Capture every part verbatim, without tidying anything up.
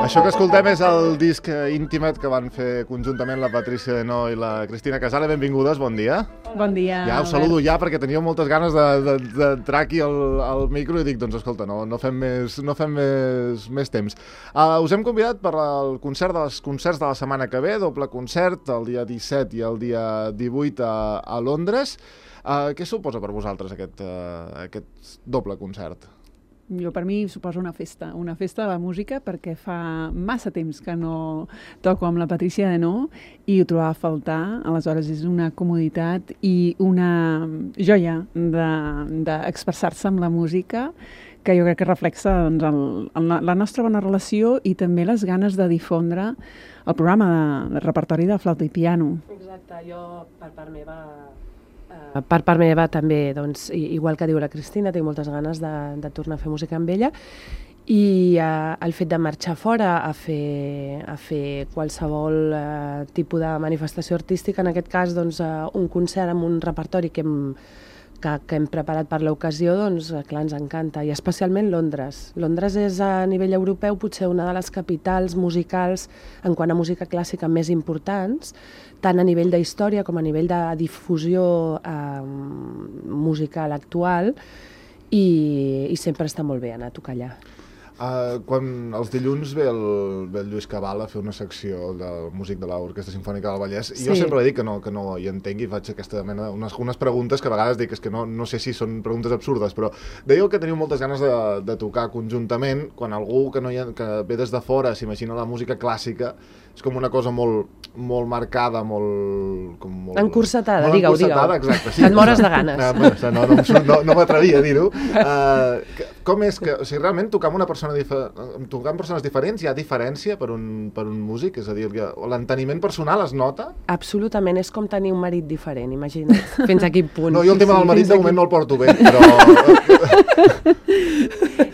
Això que escoltem és el disc Intimate que van fer conjuntament la Patricia Denó i la Cristina Casale. Benvingudes, bon dia. Bon dia. Ja us saludo ja perquè teníeu moltes ganes d'entrar aquí al, al micro i dic, doncs escolta, no, no fem més, no fem més, més temps. Uh, us hem convidat per al concert de les concerts de la setmana que ve, doble concert, el dia disset i el dia divuit a, a Londres. Uh, què suposa per vosaltres aquest, uh, aquest doble concert? Jo, per mi, suposa una festa, una festa de la música, perquè fa massa temps que no toco amb la Patricia Denó i ho trobava a faltar. Aleshores, és una comoditat i una joia d'expressar-se de, amb la música que jo crec que reflexa doncs, el, el, la nostra bona relació i també les ganes de difondre el programa de, de repertori de flauta i piano. Exacte, jo per part meva... Per part meva també, doncs, igual que diu la Cristina, tinc moltes ganes de, de tornar a fer música amb ella i eh, el fet de marxar fora a fer, a fer qualsevol eh, tipus de manifestació artística, en aquest cas doncs, eh, un concert amb un repertori que hem, que, que hem preparat per l'ocasió, doncs clar, ens encanta, i especialment Londres. Londres és a nivell europeu potser una de les capitals musicals en quant a música clàssica més importants, tant a nivell d'història com a nivell de difusió eh, musical actual, i, i sempre està molt bé anar a tocar allà. Uh, quan els dilluns ve el, ve el Lluís Cabal a fer una secció del músic de l'Orquestra Simfònica del Vallès, sí. Jo sempre dic que no, que no hi entenc i faig aquesta mena, unes, unes preguntes que a vegades dic és que no, no sé si són preguntes absurdes, però dèieu que teniu moltes ganes de, de tocar conjuntament. Quan algú que, no hi ha, que ve des de fora s'imagina la música clàssica, és com una cosa molt, molt marcada, molt... Com molt encursetada, digueu, digueu. Exacte, sí. Et mores de ganes. No, no, no, no, no m'atrevia a dir-ho. Uh, com és que, o sigui, realment tocar amb una persona tocar amb persones diferents, hi ha diferència per un, per un músic? És a dir, l'enteniment personal es nota? Absolutament, és com tenir un marit diferent, imagina't, fins a quin punt. No, jo el tema del marit de moment no el porto bé, però...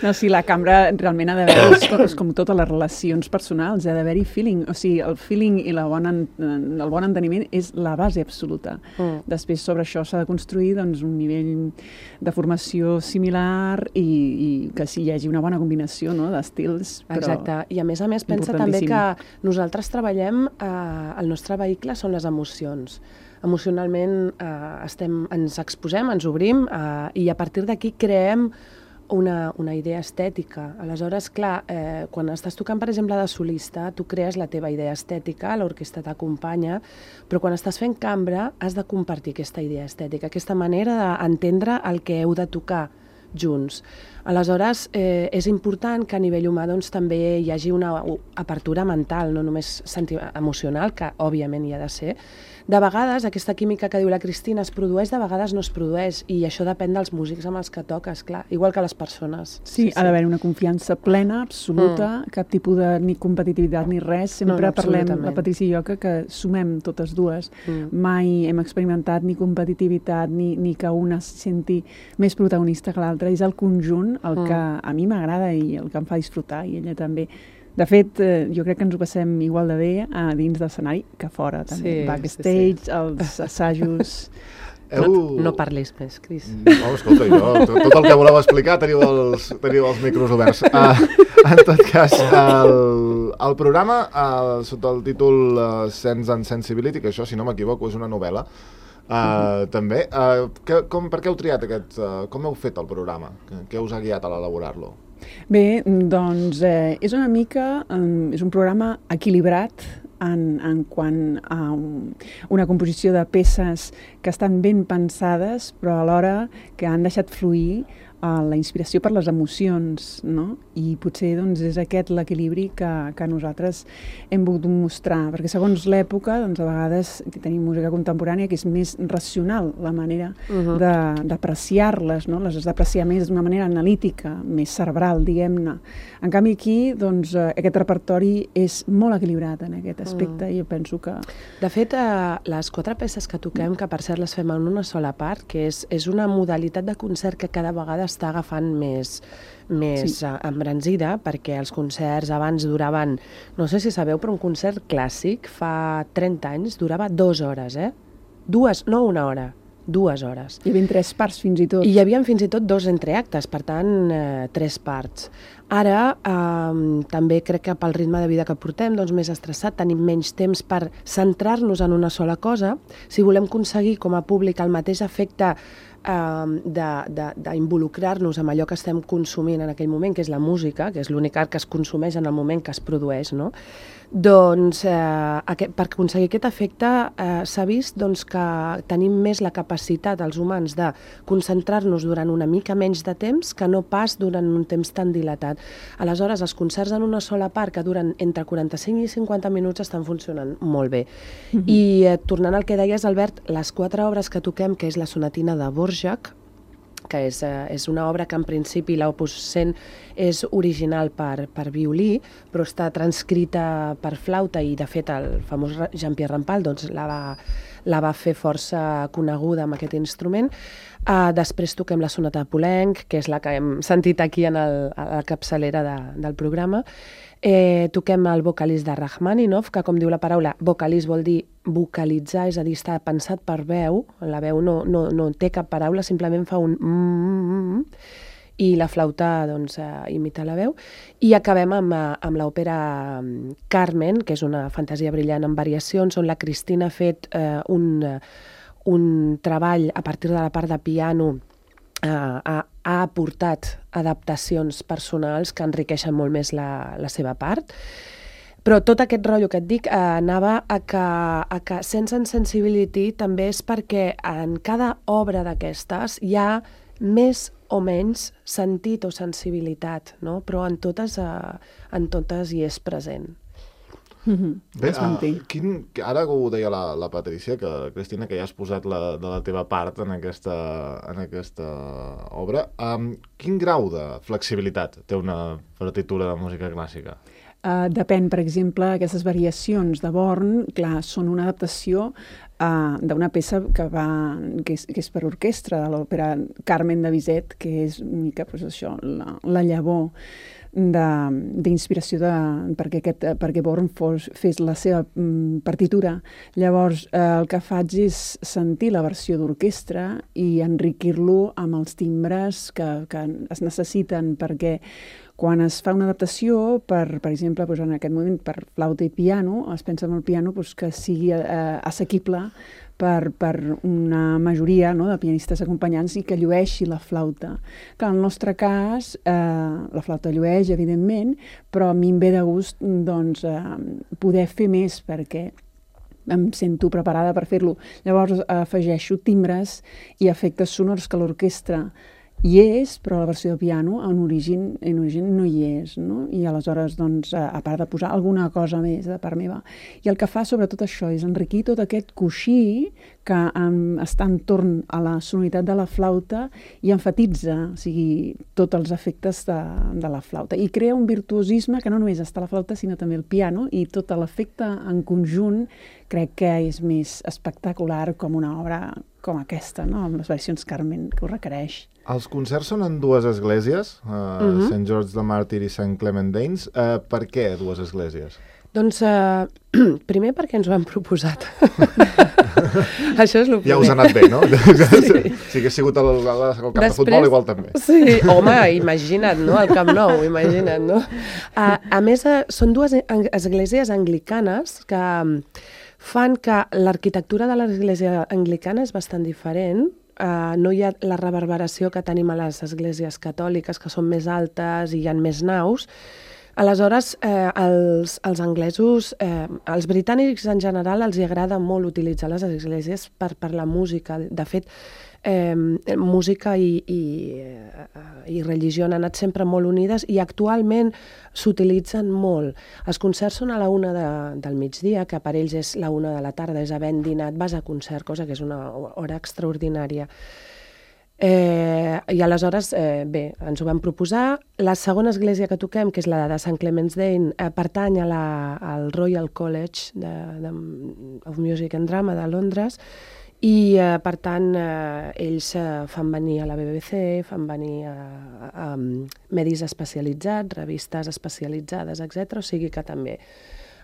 No, sí, la cambra realment ha d'haver, és com totes les relacions personals, ha d'haver-hi feeling, o sigui, el feeling i la bona, el bon enteniment és la base absoluta. Mm. Després, sobre això s'ha de construir doncs, un nivell de formació similar i, i que sí, hi hagi una bona combinació, no?, d'estils. Exacte, i a més a més pensa també que nosaltres treballem, eh, el nostre vehicle són les emocions. Emocionalment eh, estem, ens exposem, ens obrim eh, i a partir d'aquí creem una, una idea estètica. Aleshores, clar, eh, quan estàs tocant, per exemple, de solista, tu crees la teva idea estètica, l'orquestra t'acompanya, però quan estàs fent cambra has de compartir aquesta idea estètica, aquesta manera d'entendre el que heu de tocar junts. Aleshores, eh, és important que a nivell humà doncs, també hi hagi una apertura mental, no només emocional, que òbviament hi ha de ser. De vegades, aquesta química que diu la Cristina es produeix, de vegades no es produeix, i això depèn dels músics amb els que toques, clar, igual que les persones. Sí, sí, ha d'haver una confiança plena, absoluta, mm. cap tipus de ni competitivitat ni res. Sempre no, no, parlem, la Patricia i jo, que, que sumem totes dues. Mm. Mai hem experimentat ni competitivitat, ni, ni que una se senti més protagonista que l'altra. És el conjunt el mm. que a mi m'agrada i el que em fa disfrutar, i ella també. De fet, eh, jo crec que ens ho passem igual de bé a dins de l'escenari que fora, també. Sí, backstage, sí, sí. Els assajos... Heu... No, no parlis més, Cris. No, escolta, jo, tot, tot el que voleu explicar teniu els, teniu els micros oberts. Uh, en tot cas, el, el programa, uh, sota el títol uh, Sense and Sensibility, que això, si no m'equivoco, és una novel·la, uh, uh-huh. també. Uh, que, com, per què heu triat aquest... Uh, com heu fet el programa? Què us ha guiat a l'elaborar-lo? Bé, doncs eh, és una mica, um, és un programa equilibrat en, en quant a un, una composició de peces que estan ben pensades, però alhora que han deixat fluir uh, la inspiració per les emocions, no? I potser doncs, és aquest l'equilibri que, que nosaltres hem volgut mostrar, perquè segons l'època, doncs, a vegades tenim música contemporània que és més racional, la manera uh-huh. d'apreciar-les, no? Les has d'apreciar més d'una manera analítica, més cerebral, diguem-ne. En canvi aquí, doncs, aquest repertori és molt equilibrat en aquest aspecte, uh-huh. i jo penso que... De fet, eh, les quatre peces que toquem, que per cert les fem en una sola part, que és, és una modalitat de concert que cada vegada està agafant més, més sí. embranzida, perquè els concerts abans duraven, no sé si sabeu, però un concert clàssic fa trenta anys durava dues hores, eh? Dues, no una hora. dues hores. Hi havia tres parts fins i tot. I hi havia fins i tot dos entreactes, per tant, eh, tres parts. Ara, eh, també crec que pel ritme de vida que portem, doncs més estressat, tenim menys temps per centrar-nos en una sola cosa. Si volem aconseguir com a públic el mateix efecte d'involucrar-nos amb allò que estem consumint en aquell moment, que és la música, que és l'únic art que es consumeix en el moment que es produeix, no? Doncs eh, aquest, per aconseguir aquest efecte eh, s'ha vist doncs, que tenim més la capacitat, els humans, de concentrar-nos durant una mica menys de temps que no pas durant un temps tan dilatat. Aleshores, els concerts en una sola part que duren entre quaranta-cinc i cinquanta minuts estan funcionant molt bé. Mm-hmm. I eh, tornant al que deies, Albert, les quatre obres que toquem, que és la sonatina de Dvořák, que és, eh, és una obra que en principi l'Opus cent és original per, per violí, però està transcrita per flauta i de fet el famós Jean-Pierre Rampal doncs, la, va, la va fer força coneguda amb aquest instrument. Uh, després toquem la sonata de Poulenc, que és la que hem sentit aquí en el, a la capçalera de, del programa. Eh, toquem el vocalís de Rachmaninoff, que com diu la paraula, vocalís vol dir vocalitzar, és a dir, està pensat per veu, la veu no, no, no té cap paraula, simplement fa un mm, i la flauta doncs, eh, imita la veu. I acabem amb, amb l'òpera Carmen, que és una fantasia brillant amb variacions, on la Cristina ha fet eh, un, un treball a partir de la part de piano. Uh, ha, ha aportat adaptacions personals que enriqueixen molt més la, la seva part. Però tot aquest rotllo que et dic eh, anava a que, a que Sense and Sensibility també és perquè en cada obra d'aquestes hi ha més o menys sentit o sensibilitat, no? Però en totes, eh, en totes hi és present. Mm-hmm. Bé, uh, quin, ara ho deia la, la Patricia, que, Cristina, que ja has posat la, de la teva part en aquesta, en aquesta obra. Um, quin grau de flexibilitat té una partitura de música clàssica? Uh, depèn, per exemple, aquestes variacions de Born, clar, són una adaptació uh, d'una peça que, va, que, és, que és per orquestra, de l'òpera Carmen de Bizet, que és una mica pues, això, la, la llavor d'inspiració perquè, aquest, perquè Born fos, fes la seva mm, partitura. Llavors, eh, el que faig és sentir la versió d'orquestra i enriquir-lo amb els timbres que, que es necessiten, perquè quan es fa una adaptació, per, per exemple, doncs en aquest moment per flauta i piano, es pensa en el piano doncs, que sigui eh, assequible per, per una majoria, no, de pianistes acompanyants i que llueixi la flauta. Que en el nostre cas, eh, la flauta llueix, evidentment, però a mi em ve de gust doncs, eh, poder fer més perquè em sento preparada per fer-lo. Llavors afegeixo timbres i efectes sonors que l'orquestra hi és, però la versió de piano en origen, en origen no hi és, no? I aleshores, doncs, a part de posar alguna cosa més de part meva. I el que fa sobretot això és enriquir tot aquest coixí que um, està entorn a la sonoritat de la flauta i enfatitza, o sigui, tots els efectes de, de la flauta. I crea un virtuosisme que no només està la flauta, sinó també el piano, i tot l'efecte en conjunt crec que és més espectacular com una obra com aquesta, no? Amb les versions Carmen, que ho requereix. Els concerts són en dues esglésies, uh, uh-huh. Sant George the Martyr i Sant Clement Danes. Uh, per què dues esglésies? Doncs, uh, primer perquè ens ho han proposat. Això és el primer. Ja us ha anat bé, no? Sí. Si hagués sigut el, el, el camp Després, de futbol, igual també. Sí, home, imagina't, no? El Camp Nou, imagina't, no? Uh, a més, uh, són dues esglésies anglicanes que fan que l'arquitectura de l'església anglicana és bastant diferent. Uh, no hi ha la reverberació que tenim a les esglésies catòliques, que són més altes i hi ha més naus. Aleshores, eh, els, els anglesos, eh, els britànics en general, els hi agrada molt utilitzar les esglésies per, per la música. De fet, eh, música i, i, i religió han anat sempre molt unides i actualment s'utilitzen molt. Els concerts són a la una de, del migdia, que per ells és la una de la tarda, és havent dinat, vas a concert, cosa que és una hora extraordinària. Eh, I aleshores, eh, bé, ens ho vam proposar. La segona església que toquem, que és la de Sant Clement's Dane, eh, pertany a la, al Royal College de, de, of Music and Drama de Londres i, eh, per tant, eh, ells eh, fan venir a la B B C, fan venir a, a, a medis especialitzats, revistes especialitzades, etcètera. O sigui que també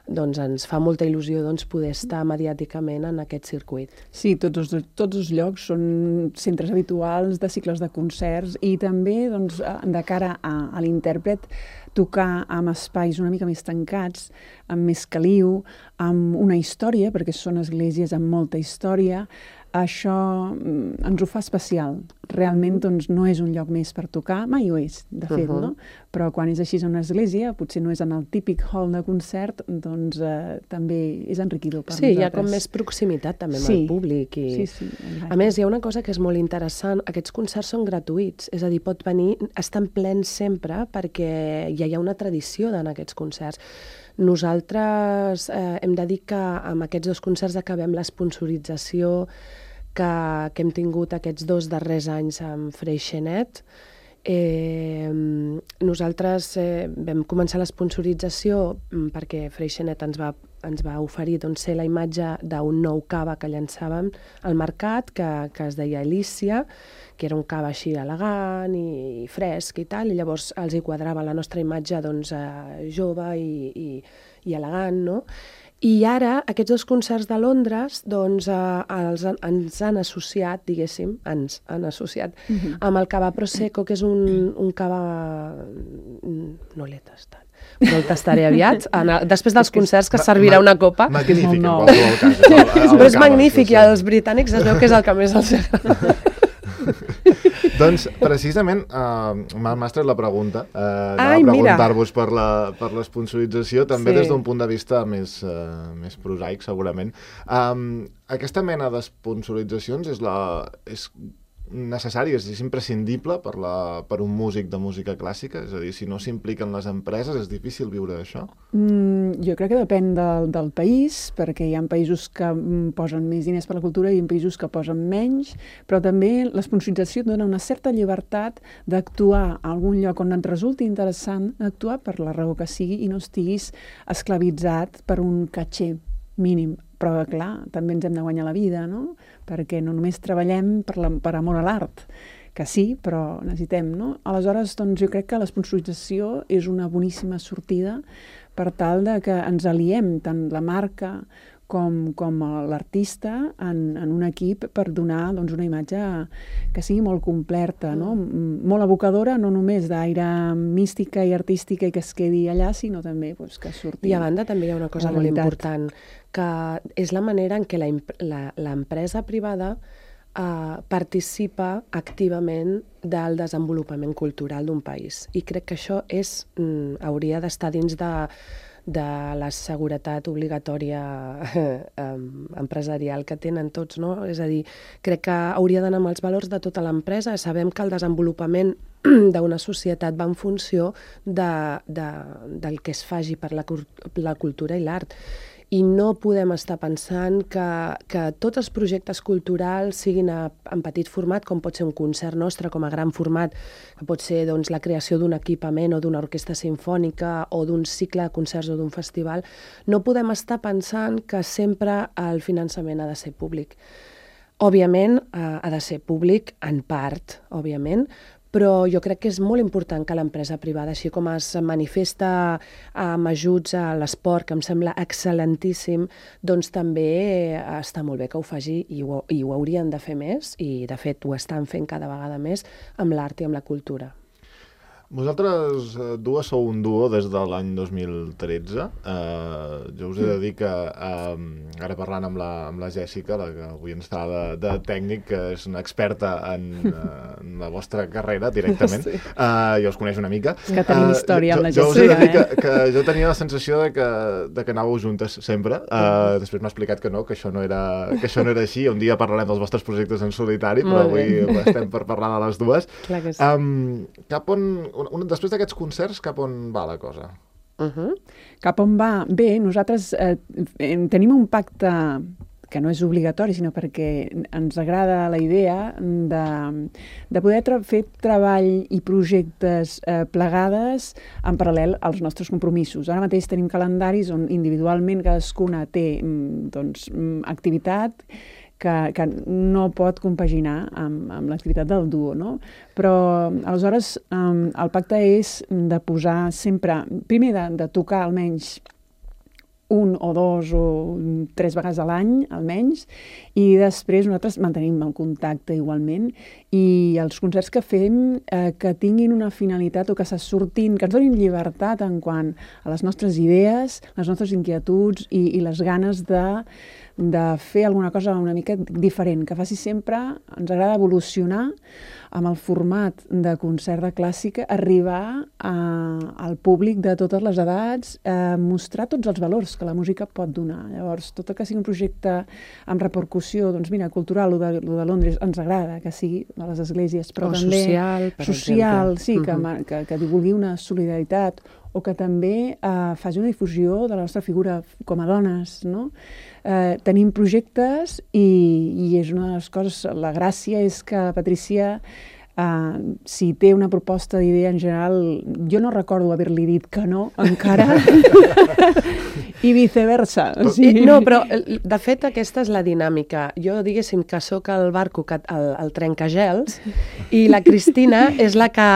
doncs ens fa molta il·lusió doncs, poder estar mediàticament en aquest circuit. Sí, tots els, tots els llocs són centres habituals de cicles de concerts i també doncs, de cara a, a l'intèrpret tocar amb espais una mica més tancats, amb més caliu, amb una història, perquè són esglésies amb molta història, això ens ho fa especial. Realment doncs, no és un lloc més per tocar, mai ho és, de fet, uh-huh. no? Però quan és així en una església, potser no és en el típic hall de concert, doncs eh, també és enriquidor per sí, nosaltres. Sí, hi ha com més proximitat també amb sí. el públic. I... Sí, sí. A més, hi ha una cosa que és molt interessant, aquests concerts són gratuïts, és a dir, pot venir, estan plens sempre perquè ja hi ha una tradició en aquests concerts. Nosaltres eh, hem de dir que amb aquests dos concerts acabem l'esponsorització que, que hem tingut aquests dos darrers anys amb Freixenet. Eh, nosaltres eh, vam començar l'esponsorització perquè Freixenet ens va, ens va oferir doncs, ser la imatge d'un nou cava que llançàvem al mercat, que, que es deia Elícia, que era un cava així elegant i, i fresc i tal, i llavors els hi quadrava la nostra imatge doncs, eh, jove i, i, i elegant, no? I ara, aquests dos concerts de Londres, doncs, eh, els, ens han associat, diguéssim, ens han associat uh-huh. amb el cava Prosecco, que és un, un cava... No l'he tastat, però el tastaré aviat. En el, després dels concerts, que servirà una copa. Magnífic, en qualsevol cas. El, el però és magnífic, i als britànics es veu que és el que més els agrada. Doncs, precisament, uh, mal m'ha la pregunta, uh, anava a preguntar-vos per la, per l'esponsorització, també sí. des d'un punt de vista més, uh, més prosaic, segurament. Um, aquesta mena d'esponsoritzacions és, la, és necessària, és imprescindible per, la, per un músic de música clàssica? És a dir, si no s'impliquen les empreses, és difícil viure d'això? Mm, jo crec que depèn del, del país, perquè hi ha països que posen més diners per la cultura i hi ha països que posen menys, però també l'esponsorització dona una certa llibertat d'actuar a algun lloc on et resulti interessant, actuar per la raó que sigui i no estiguis esclavitzat per un caché mínim. Però, clar, també ens hem de guanyar la vida, no? Perquè no només treballem per, la, per amor a l'art, que sí, però necessitem, no? Aleshores, doncs, jo crec que l'esponsorització és una boníssima sortida per tal de que ens aliem tant la marca com, com l'artista en, en un equip per donar doncs, una imatge que sigui molt completa, no? Molt evocadora, no només d'aire mística i artística i que es quedi allà, sinó també doncs, que surti. I a banda també hi ha una cosa molt important, que és la manera en què l'empresa privada eh, participa activament del desenvolupament cultural d'un país. I crec que això és, mm, hauria d'estar dins de de la seguretat obligatòria eh, empresarial que tenen tots, no? És a dir, crec que hauria d'anar amb els valors de tota l'empresa. Sabem que el desenvolupament d'una societat va en funció de, de, del que es faci per la, la cultura i l'art. I no podem estar pensant que, que tots els projectes culturals siguin a, en petit format, com pot ser un concert nostre, com a gran format, que pot ser doncs, la creació d'un equipament o d'una orquestra simfònica o d'un cicle de concerts o d'un festival. No podem estar pensant que sempre el finançament ha de ser públic. Òbviament, eh, ha de ser públic en part, òbviament, però jo crec que és molt important que l'empresa privada, així com es manifesta amb ajuts a l'esport, que em sembla excel·lentíssim, doncs també està molt bé que ho faci i ho, i ho haurien de fer més, i de fet ho estan fent cada vegada més amb l'art i amb la cultura. Vosaltres eh, dues sou un duo des de l'any dos mil tretze. Eh, jo us he de dir que, eh, ara parlant amb la, amb la Jèssica, la que avui ens està de, de tècnic, que és una experta en, eh, en la vostra carrera directament, sí. eh, jo us coneix una mica. És que tenim història uh, amb la Jèssica. Jo us he de dir que, que jo tenia la sensació de que, de que anàveu juntes sempre. Eh, després m'ha explicat que no, que això no, era, que això no era així. Un dia parlarem dels vostres projectes en solitari, però avui estem per parlar de les dues. Clar que sí. Um, cap on... Un, després d'aquests concerts, cap on va la cosa? Uh-huh. Cap on va? Bé, nosaltres eh, tenim un pacte que no és obligatori, sinó perquè ens agrada la idea de, de poder tra- fer treball i projectes eh, plegades en paral·lel als nostres compromisos. Ara mateix tenim calendaris on individualment cadascuna té doncs, activitat que, que no pot compaginar amb, amb l'activitat del duo, no? Però, aleshores, um, el pacte és de posar sempre, primer de, de tocar almenys un o dos o tres vegades a l'any, almenys, i després nosaltres mantenim el contacte igualment, i els concerts que fem eh, que tinguin una finalitat o que se surtin, que ens donin llibertat en quant a les nostres idees, les nostres inquietuds i, i les ganes de de fer alguna cosa una mica diferent, que faci sempre, ens agrada evolucionar amb el format de concert de clàssica, arribar a, al públic de totes les edats, a mostrar tots els valors que la música pot donar. Llavors, tot el que sigui un projecte amb repercussió, doncs mira, cultural, o de, o de Londres, ens agrada que sigui a les esglésies, però o també social, per social, exemple. sí, que, uh-huh. que, que divulgui una solidaritat, o que també eh, faci una difusió de la nostra figura com a dones, no? Eh, tenim projectes i, i és una de les coses, la gràcia és que Patrícia, eh, si té una proposta d'idea en general, jo no recordo haver-li dit que no, encara, i viceversa. O sigui... No, però de fet aquesta és la dinàmica. Jo diguéssim que sóc el barco, que, el, el trencagels, i la Cristina és la que,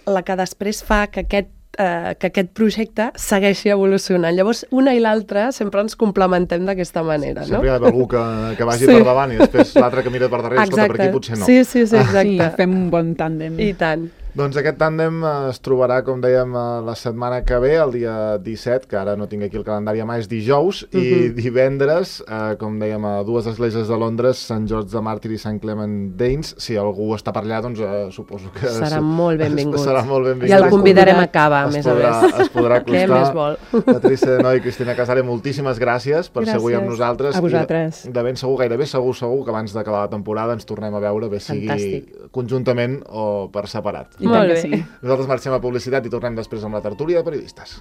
la que després fa que aquest Eh, que aquest projecte segueixi evolucionant. Llavors, una i l'altra sempre ens complementem d'aquesta manera, sí, no? Sempre hi ha algú que, que vagi sí. per davant i després l'altre que mira per darrere, escolta, per aquí potser no. Sí, sí, sí, exacte. Sí, fem un bon tàndem. I tant. Doncs aquest tàndem es trobarà, com dèiem, la setmana que ve, el dia disset, que ara no tinc aquí el calendari a mà, és dijous, uh-huh. i divendres, eh, com dèiem, a dues esglésies de Londres, Sant George de Màrtir i Sant Clement Danes. Si algú està per allà, doncs eh, suposo que... Serà molt benvingut. Serà molt benvingut. I el convidarem a cava, a més podrà, a més. Es podrà acostar. Què més vol? Patrícia Noi i Cristina Casale, moltíssimes gràcies per gràcies. ser avui amb nosaltres. A vosaltres. I de, de ben segur, gairebé segur, segur, que abans d'acabar la temporada ens tornem a veure, bé sigui Fantàstic. Conjuntament o per separat. I tant que sí. Nosaltres marxem a publicitat i tornem després amb la tertúlia de periodistes.